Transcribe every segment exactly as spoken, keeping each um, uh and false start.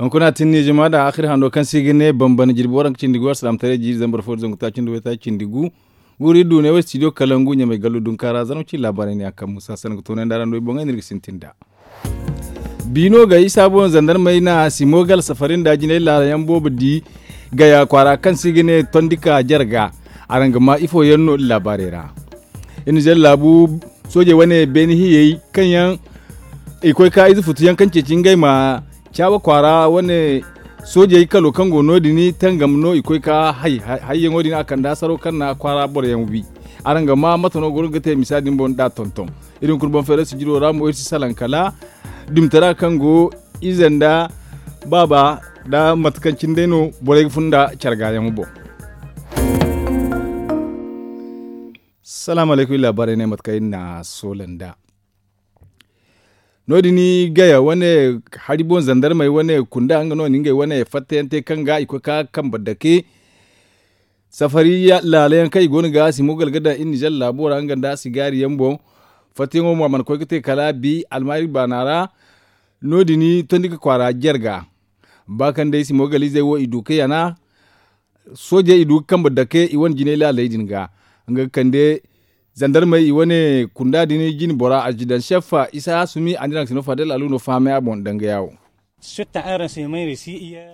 Hunkuna tinni jama da axir hando kaŋ se i ga ne bambana jirbi waranka cindi gu alsilaamataray jiiri zambar fo da zangu taaci nda waytaaci cindi gu. Guuri du ne wo studio kalangu ɲamay gallu dunkaara zarma ci laabaarey ne a kaŋ musa sanaŋ ga toonandi araŋ no i boŋey no iri ga sintin nd'a. Biino ga isa boŋ zandarmey na simo gala safari nda jinay laala yaŋ boobo di gaya kwaara kaŋ se i ga ne tondi ka jarga. Araŋ ga ma ifo yaŋ no iri laabaarey ra. Iri na zalla laabu soojey wane beene hiyey kaŋ yaŋ i koy ka ize futu yaŋ kaŋ ceeci ngey ma caawa kwaara wane soojey kalo kaŋ go no- din tangam no i koy ka hayyaŋo din a kande hasaro kaŋ na kwaara boro yaŋ wi. Araŋ ga ma mate no goro ga te misa din boŋ da tonton. Iri hunkuna boŋ feera sijiro ra mo iri si salaŋ kala dumtara kaŋ go ize nda baaba nda mate kaŋ cine day no borey ga fun nda care gaayaŋo boŋ. Salaamu alaykum iri laabaarey ne mate kaŋ iri na soola nd'a. No- din gaya wane hari boŋ zandarmey wane kunda nga no na ngey wane fattayaŋ te kaŋ ga i koy ka kambe dake. Safari laala yaŋ kaŋ i go no ga simo gala ga daŋ iri nizer laabo ra nga nda sigaari yaŋ boŋ. Fattayaŋo mo a mana koy ga te kala bi almaari baana ra. No- din tondi ga kwaara jarga ba kaŋ day simo gala izey wo i du ga yana. Soojey i du ga kambe dake i wane jinay laaley din ga nga ga kande zandarmey i wane kunda din jine bora azidansef isa hasumi a na iri haŋ sino fadel alu no fahamay a boŋ danga yaawo.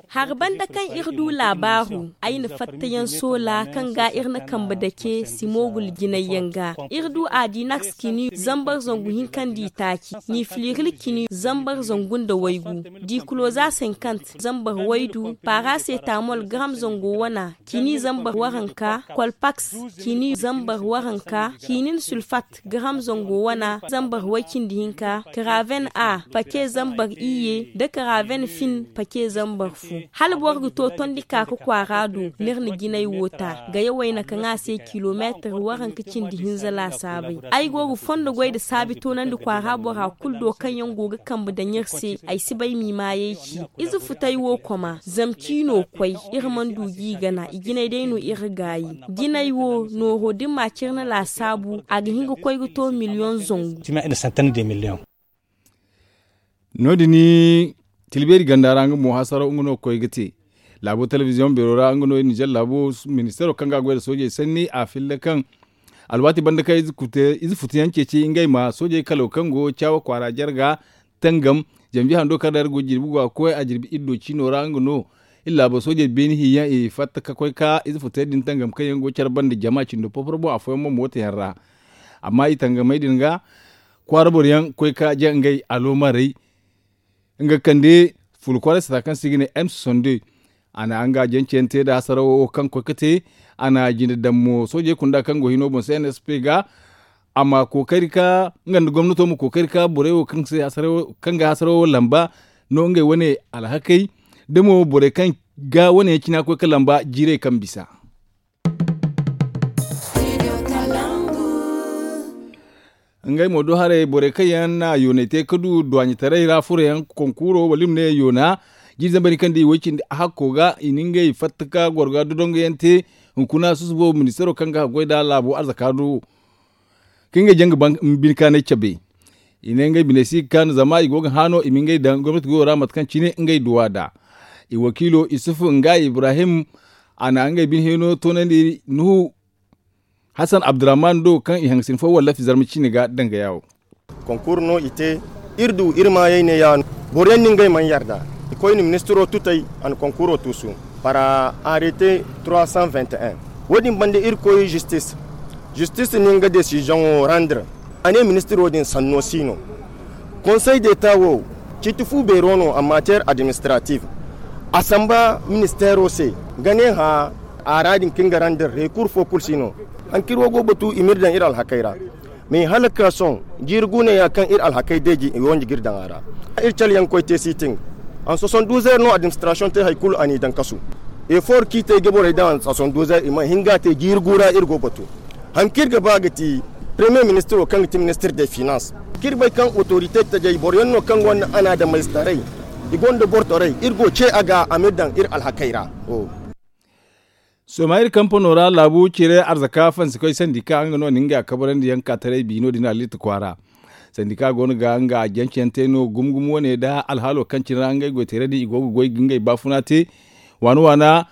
Hari banda kaŋ iri du laabaaru ay na fattayaŋ soola kaŋ ga iri na kambe dake simogul jinay yaŋ ga. Iri du adinaks kini zambar zangu hinka nda itaaci, nifiliril kini zambar zangu nda waygu, dikuloza senkant zambar waydu, parasetamol garam zango wana, kini zambar waranka, kolpaks kini zambar waranka, kinin sulfat garam zango wana zambar way cindi hinka, karaven a pake zambar iyye nda karaven fin pake zambar fu. Hala boro ga to tondi ka ga kwaara do, ni iri na jinay wo ta gaya wayna kaŋ a se kilomeetir waranka cindi hinza laasaabay. Ay go ga fondo goy nda saabi toonandi kwaara bora kulu do kaŋ yaŋ go ga kambe daŋ iri se ay si bay m'i maayey ci. Ize futay wo koma zama ciino koy, iri mana du g'i gana i jinay day no iri gaayi. Jinay wo nooro da ni ma cire ni laasaabu a ga hin ga koy ga to miliyoŋ zangu. No- din tilbeeri ganda ra nga mo hasaraw nga no ga koy ga te. Laabo telebiziyoŋ beero ra nga no iri nizer laabo ministeero kaŋ ga a goy nda soojey sanni a filla kaŋ alwaati banda kaŋ ize futu yaŋ ceeci ngey ma soojey kalo kaŋ go caawa kwaara jarga tangam. Zanbiye hando kaŋ ra iri go jirbi go a ga koy a jirbi iri do ciino ra nga no iri laabo soojey beeni hinyaŋ i fatta ka koy ka ize futey din tangam kaŋ yaŋ go care banda jama cindo poporo boŋ afooyaŋ mo mooto yaŋ ra. Amma i tangamey din ga kwaara boro yaŋ koy ka jaŋ ngey aloomarey. Nga kande fulu kwaaray sata kaŋ se i ga ne m soixante-deux. A na nga jaŋ ceyaŋ te nda hasarawo kaŋ koy ga te. A na jinde daŋ mo soojey kunda kaŋ go hino boŋ se n s p ga a ma kookari ka nga nda gomnato ma kookari ka borey wo kaŋ ga hasarawo lamba no ngey wane alhakey da mo borey kaŋ ga wane yaŋ cina koy ga lamba jiirey kaŋ bisa. Ngey mo do haray borey kaŋ yaŋ na yoonay te ga du duwaaɲetaray ra furo yaŋ konkuuro wala i ma ne yoona jiiri zambar hinka nda i way cindi hakko ga i na ngey fatta ka goro ga dodongo yaŋ te. Hunkuna susubo ministeero kaŋ ga a goy nd'a laabo arzaka do wo kaŋ ngey jaŋ ga bine kaanay cabe. I ne ngey bine si ga kaanu zama i go ga hã no i ma ngey daŋ gomnati goyo ra mate kaŋ cine ngey duw'a nd'a. I wakiilo isufu nga ibrahim a na ngey bine hino toonandi nuhu hasan abdurrahman do kaŋ i hangasin fo wallafi zarma ciine ga danga yaawo. Konkuur no i te iri du iri maayey ne ya no. Boro yaŋ no ngey mana yarda i koyne ministiro tutey a na konkuuro tuusu. Para arrêté trois cent vingt et un. Wo- din banda iri koy zistis zistis no nga desizoŋo randre. A ne ministiro din sanno si no. Konsey deta wo ciiti fu beero no a matière administrative. A samba ministeero se ga ne hã a ra din kaŋ ga randre rekur fo kulu si no. Haŋ kaŋ iri wo go ga batu i m'iri daŋ iri alhakey ra. Mais hala ga ka sohõ jiiri guuneya kaŋ iri alhakey deeji i wo nja ga iri daŋ a ra. Iri caleyaŋ koy te sitin. An soixante douze heures no administration te hari kulu a n'i daŋ kasu. Effort kaŋ i te ga borey daŋ an soixante douze heures i mana hin ga a te jiiri gu ra iri go ga batu. Hari kaŋ iri ga ba ga ti premier ministre wo kaŋ ga ti ministre des finances kaŋ iri bay kaŋ autorité tajey boro yaŋ no kaŋ gonda anaadamayzetaray. I gonda bortoray iri go ce a ga a m'iri daŋ iri alhakey ra. Sooma iri kampano ra laabu cire arzaka fansi koy sandi ka nga no na ngey a kabarandi yaŋ ka taray biino din alliiti kwaara. Sandika go no ga nga a janci yaŋ te no gumo gumo wane nda alhaalo kaŋ cine ra ngey goy teerey din i go ga goy ga ngey baafuna te. Waana waana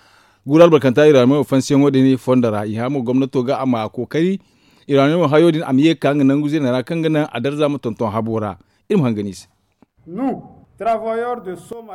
guuru albarkanta iraaniyo fansiyaŋo din fondo ra i hã mo gomnato ga a ma kookari iraaniyo hayo din a ma ye ga ka nga nangu zeena ra kaŋ ga naŋ a darza ma tonton habo ra. Iri ma hangan i se.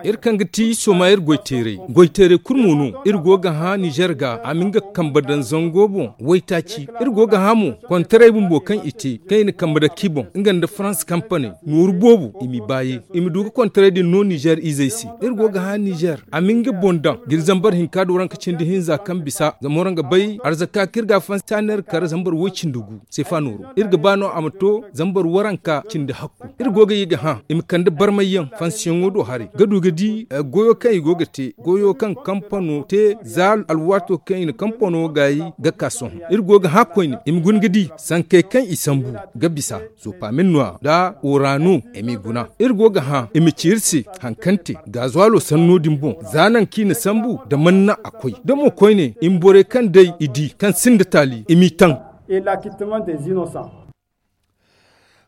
Iri kaŋ ga ti sooma iri goy teeray goy teeray kulu mo no. Iri go ga hã nizer ga a ma nga kambe daŋ zango boŋ waytaaci. Iri go ga hã mo kontaray bumbo kaŋ i te kaŋ i na kambe daŋ ki boŋ nga nda farans kampane nooru boobo i m'i baaye i ma du ga kontaray din no nizer izey se. Iri go ga hã nizer a ma nga boŋ daŋ ga iri zambar hinka do ranka cindi hinza kaŋ bisa zama waraŋ ga bay arzaka kaŋ iri ga a fansi taaner kar zambar woy cindi gu sefa nooro iri ga ba no a ma to zambar waranka cindi hakku. Iri go ga ye ga hã i ma kande barmayyaŋ fansiyaŋo do haray ga du ga di goyo kaŋ i go ga te goyo kaŋ kampano te za alwaato kaŋ i na kampano gaayi ga ka sohõ. Iri go ga hã koyne i ma guna ga di sankey kaŋ i sambu ga bisa sopamin no a nda orano i m'i guna. Iri go ga hã i ma ci iri se haŋ kaŋ te gaazuwalo sanno din boŋ za naŋ kaŋ i na sambu nda man na a koy da mo koyne i ma borey kaŋ day i di kaŋ sinda taali i m'i taŋ.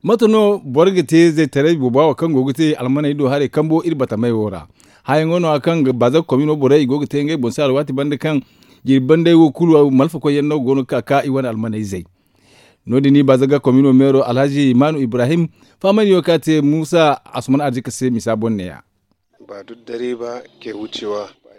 Mate no boro ga te zaytaray booba wo kaŋ go ga te almaney do haray kambo iri batamey wo ra? Hayaŋo no- ya kaŋ baaza ga komino borey i go ga te ngey boŋ se alwaati banda kaŋ jirbi bandey wo kulu malfakoy yaŋ no go no ga ka ka i wane almaney zay. No- din i baaza ga komino meero alhazi maanu ibrahim faamandiyo kaŋ a te muusa asuman arzika se misa boŋ ne- ya.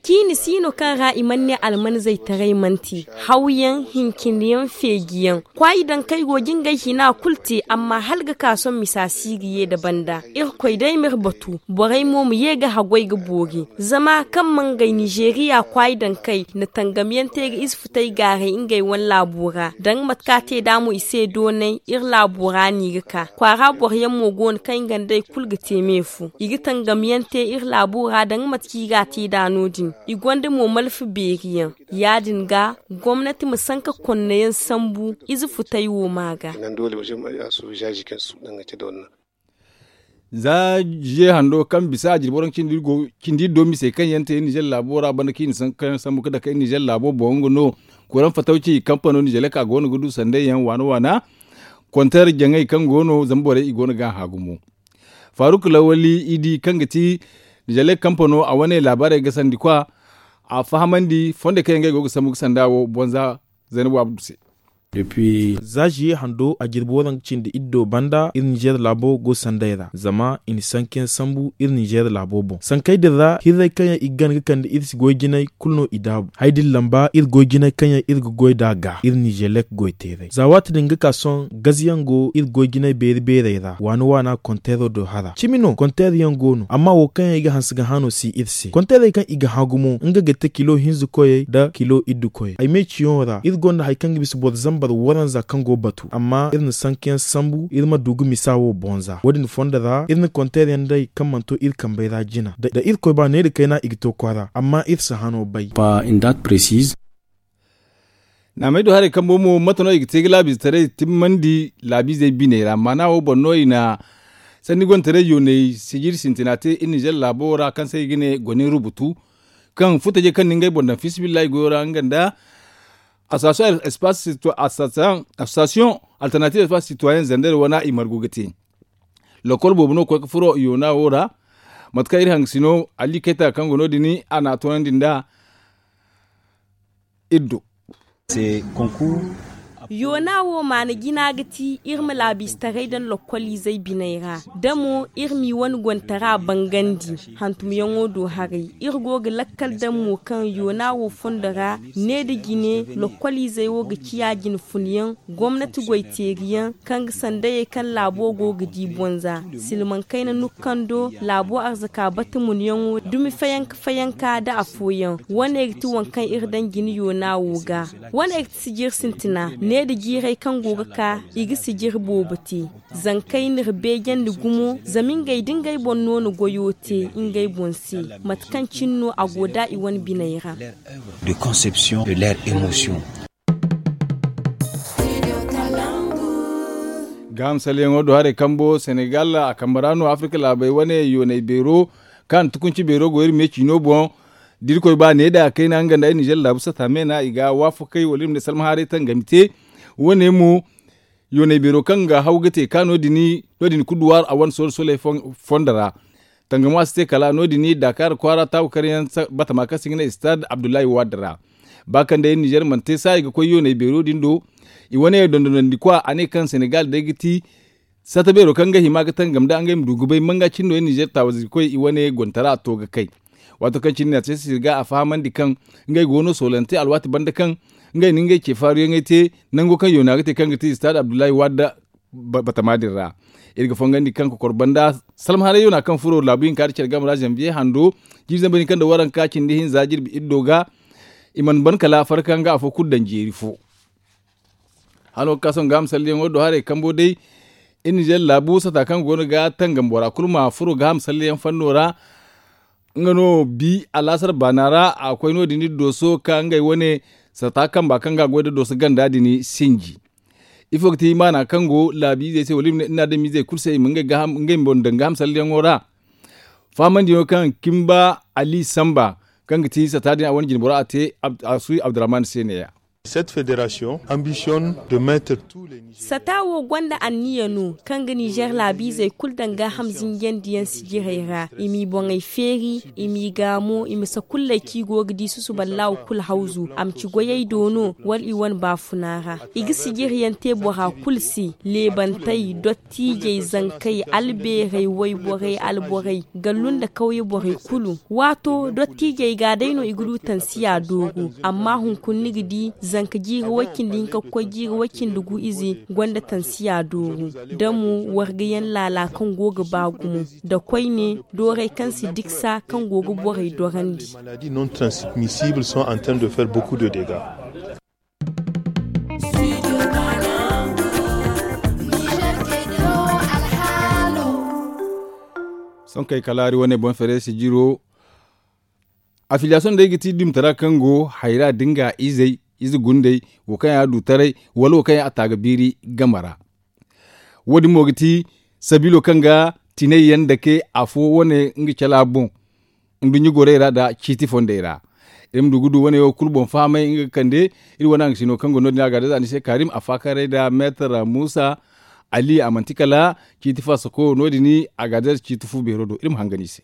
Ciini si no kaŋ ra i mana ne almanzey taray manti hawyaŋ hincindiyaŋ feejiyaŋ kwaayi daŋ kaŋ ay go ga ngey hina kulu te amma hala ga ka sohõ misa si ga ye nda banda. Irkoy day ma iri batu borey mo ma ye ga haggoy ga boori zama kaŋ ma ngey nizeeriya kwaayi daŋ kaŋ ay na tangamyaŋ te ga ize futay gaaray ngey wane laabo ra da nga mate kaŋ a te nd'a mo i se doonay iri laabo ra no i ga ka kwaara boro yaŋ mo go no kaŋ ay nga nd'ey kulu ga te me fo i ga tangamyaŋ te iri laabo ra da nga mate kaŋ i ga a te nd'a no- din. I gonda mo malfa beeri yaŋ ya- din ga gomnati ma sanka konnayaŋ sambu ize futay wo ma ga. Za jiye hando kaŋ bisa a jirbi waraŋ cindi iri do misey kaŋ yaŋ te iri nizer laabo ra banda kaŋ i na sanka kaŋ yaŋ sambu ga dake iri nizer laabo boŋ nga no kuraŋ fatawci kampano nizer laka go no ga du sanday yaŋ waana waana. Konter jaŋay kaŋ go no zama borey i go no ga a hã gumo. Faruk lawali idi kaŋ ga ti nizer laka kampano a wane laabaarey ga sandi kwa a fahamandi fondey kaŋ yaŋ ngey go ga sambu ga sanda wo bonza. Zaynabu abdu se. Za ziye hando a jirbi waranka cindi iddo banda iri nizer laabo go sanday ra zama i na sankayaŋ sambu iri nizer laabo boŋ sankey din ra hirrey kaŋ yaŋ i ga gana ga kande iri se goy jinay kulu no i daabu hari din lamba iri goy jinay kaŋ yaŋ iri ga goy nd'a ga iri nizer lek goy teeray za waati din ga ka sohõ gaziyaŋ go iri goy jinay beeri beerey ra waana waana konteero do hara cimi no konteero yaŋ go no amma wo kaŋ yaŋ i ga hanse ga hã no si iri se konteerey kaŋ i ga hã gumo nga ga te kilo hinza koyey nda kilo iddu koyey ay me ciyaŋo ra iri gonda hari kaŋ ga bisa boro zambar waranza kaŋ go batu amma iri na sankayaŋ sambu iri ma du ga misa wo boŋ za wo- din fondo ra iri na konteer yaŋ day kaŋ mana to iri kambey ra jina da irkoy ba neera kayna i ga to kwaara amma iri si hano bay. Naamey do haray kambo mo mate no i ga te ga laabiizetaray timmandi laabiizey biney ra maana wo boŋ no i na sanni gontaray yooney sijiri sintina te iri nizer laabo ra kaŋ se i ga ne gone rubutu kaŋ futajey kaŋ na ngey boŋ daŋ fiisabilillahi goyo ra nga nda association alternatives espace citoyen zander wane i margu ga te. Lokol boobo no ga koy ga furo yoona wo ra mate kaŋ iri hangasino ali kayta kaŋ go no- din a na a toonandi nda iri do. Yoona wo maana jina ga ti iri ma laabiizetaray daŋ lokkoliizey biney ra da mo iri m'i wane gontara bangandi hantumyaŋo do haray iri go ga lakkal daŋ mo kaŋ yoona wo fondo ra ne nda jine lokkoliizey wo ga ciya jine funyaŋ gomnati goyteeriyaŋ kaŋ ga sandayey kaŋ laabo go ga di bonza silmaŋ kayna nukkando laabo arzaka bata munyaŋo dumi fayanka fayanka nda afooyaŋ wane ga ti waŋ kaŋ iri daŋ jine yoona wo ga wane ga ti sijiri sintina ne nda jiirey kaŋ go ga ka i ga sijiri boobo te zankey n'iri beejandi gumo zama ngey da ngey boŋ no na goyo te ngey boŋ se mate kaŋ cine no a go nd'a i wane biney ra. De conception de leur émotion. Gaaham salleyaŋo do haray kambo senegal a kambe ra no afrika laabey wane yoonay beero kaŋ a na tukunci beero go iri me ciino boŋ da irkoy ba ne da kayna nga nda ay nizer laabu sata me no i ga waafakey wala iri ma ne salma haaray tangami te wane mo Yoonay beero kaŋ ga haw ga te ka no- din kuduwaar a wane soole sooley fondo ra. Tangamo a si te kala no- din daakaara kwaara taaku karyaŋ batama kaŋ se i ga ne istaad abdullahi waad ra. Ba kaŋ day nizer mana te saayi ga koy yoonay beero din do, i wane dondonandi kwa a ne kaŋ senegal day ga ti sata beero kaŋ ga hima ga tangam nd'a ngey ma du ga bay manga cindo nizer taawazi ga koy i wane gontara a to ga kay. Waato kaŋ cine na te sirga a fahamandi kaŋ ngey go no soolante alwaati banda kaŋ ngey na ngey ce faaruyaŋey te nango kaŋ yoona ga te kaŋ ga ti istaad abdullahi waad batama din ra. Iri ga fongandi kaŋ kokor banda salma haray yoona kaŋ furo laabu hinka da care game ra zanbiye hando jiiri zambar hinka nda waranka cindi hinza jirbi iddo ga i mana ban kala farka nga afo kulu daŋ jeeri fo. Hano ga ka sohõ gaaham salliyaŋo do haray kambo day iri nizer laabu sata kaŋ go no ga tangam bora kulu ma furo gaaham salliyaŋ fanno ra. Nga no bi alaasar baana ra a koy no- din iri dooso ka ngey wane sata kamba kaŋ ga a goy nda dooso ganda din sinji. Ifo ga ti maana kaŋ go laabiizey se wala iri ma ne iri na adamizey kulu se i ma ngey boŋ daŋ gaaham salliyaŋo ra. Fahamandiyaŋo kaŋ kimba ali samba kaŋ ga ti sata din a wane jinbora a te a suuyi abdurrahman se ne- ya. Sata wo gonda anniya no kaŋ ga nizer laabiizey kulu daŋ gaaham zinjandiyaŋ sijirey ra i m'i boŋey feeri i m'i gaamo i ma sakulley kaŋ i go ga di susuballahu kulu hawzu a ma ci goyey do no wala i wane baafuna ra. I ga sijiryaŋ te bora kulu se leebantey dottiijey zankey albeerey wayborey alborey gallu nda kawye borey kulu. Waato dottiijey ga day no i ga du tansiya dooru. Amma hunkuna ni ga di zanka jiiri way-cindi hinka ga koy jiiri way-cindi gu ize gonda tansiya dooru. Da mo wargayaŋ laala kaŋ go ga ba gumo nda koyne doorey kaŋ si diksa kaŋ go ga borey dorandi. Sonkey kala hari wane boŋ fere sijiro. Afiliyasoŋ day ga ti dumtara kaŋ go hayra da nga izey ize gundey wo kaŋ yaŋ a du taray wala wo kaŋ yaŋ a ta ga biiri game ra. Wo- din mo ga ti sabiilo kaŋ ga tinay yaŋ dake afo wane nga cala boŋ nduɲɲa gorey ra nda ciiti fondey ra. Iri ma du ga du wane wo kulu boŋ fahamay nga ga kande iri wane haŋ ga sino kaŋ go no- din a ga day za ni se kaarim a faakaray nda meetar muusa ali a manti kala ciiti faasako no- din a ga day ciiti fu beero do iri ma hangan i se.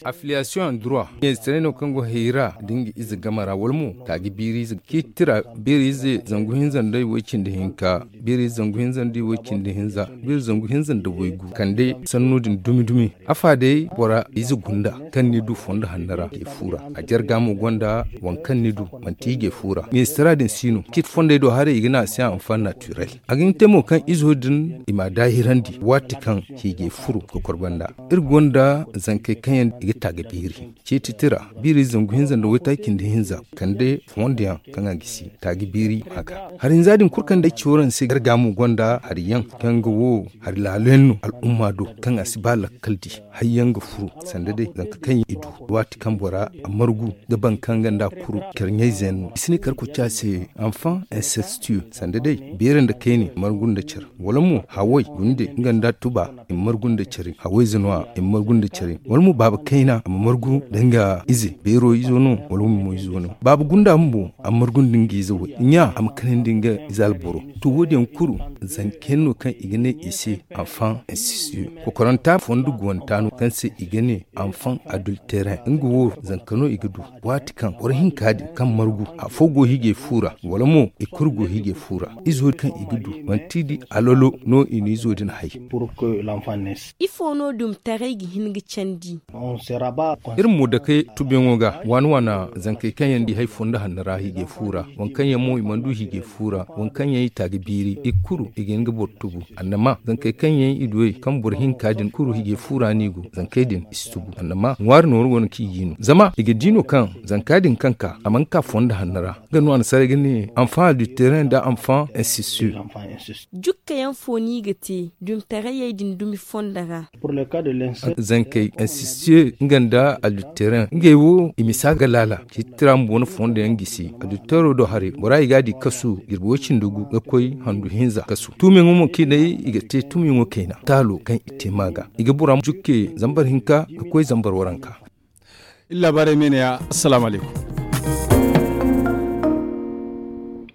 Afiliyasoŋ andura meezitaray no kaŋ go hayra da nga ize game ra wala mo taaji biiri ize ciiti tira biiri ize zangu hinza nda way- cindi hinka biiri ize zangu hinza nda way- cindi hinza biiri zangu hinza nda waygu kande sanno din dumi dumi. Afa day bora ize gunda kaŋ ni du fondo hanno ra i ga fu ra a jarga mo gonda waŋ kaŋ ni du manti i ga i fu ra meezitara din si no ciiti fondey do haray i ga ne a se anfan natirel. A ga hin te mo kaŋ izo din i m'a daahirandi waati kaŋ hiijay furo ga korbanda. Iri gonda zankey kaŋ yaŋ i ga taaga biiri ciiti tira biiri zangu hinza nda waytaaci nda hinza kande fondo yaŋ kaŋ a gisi taaga biiri ma ga. Hari hinza din kulu kaŋ day cawaraŋ se garga mo gonda hari yaŋ kaŋ ga wo hari laalo yaŋ no al'umma do kaŋ a si ba lakkal di. Hayyaŋ ga furu sanda day zanka kaŋ i du waati kaŋ bora a margu da baŋ kaŋ ganda kuru care ɲayze yaŋ no i si ne kar koca se anfan incestueux sanda day beere nda kayne margu nda care wala mo haway gunde nga nda tuba i ma margu nda care hawayze no- ya i ma margu nda care wala mo baaba kayna a ma margu da nga ize beero izo no wala mo izo no baaba gunda bumbo a ma margu nda nga ize way ɲa a ma kanandi nga ize alboro. To wo- din yaŋ kulu zanka yaŋ no kaŋ i ga ne i se anfan incestueux kokoranta fondo guwanta no kaŋ se i ga ne anfan adulteren nga wo zanka no i ga du. Waati kaŋ boro hinka din kaŋ margu afo go hiijay fu ra wala mo i kulu go hiijay fu ra izo kaŋ i ga du manti di alolo no i na izo din hay. Ifo no dumtaray ga hin ga candi? Iri ma mo dake tubiyaŋo ga waana waana zankey kaŋ yaŋ di hay fondo hanno ra hiijay fu ra waŋ kaŋ yaŋ mo i mana du hiijay fu ra waŋ kaŋ yaŋ i ta ga biiri i kulu i ga hin ga boro tubu annama zankey kaŋ yaŋ i du ey kaŋ boro hinka din kulu hiijay fu ra no i go zankey din i si tubu annama ŋwaari nooru go no kaŋ i ga i no zama i ga di no kaŋ zanka din kaŋ ka a mana ka fondo hanno ra. Nga no a na saray ga ne anfan adulteren nda anfan incestueux. Jukka yaŋ fo no i ga te dumtarayey din dumi fondo ra? Zankey incestueux nga nda adulteren ngey wo i misa ga laala ciiti tira bumbo no fondo yaŋ gisi adultero do haray bora i ga a di kasu jirbi way cindi gu ga koy handu hinza kasu tumiyaŋo mo kaŋ i ne i ga te tumiyaŋo kayna taalo kaŋ i te ma ga i ga bora jukke zambar hinka ga koy zambar waranka. Iri laabaarey me ne ya assalaamu alaykum.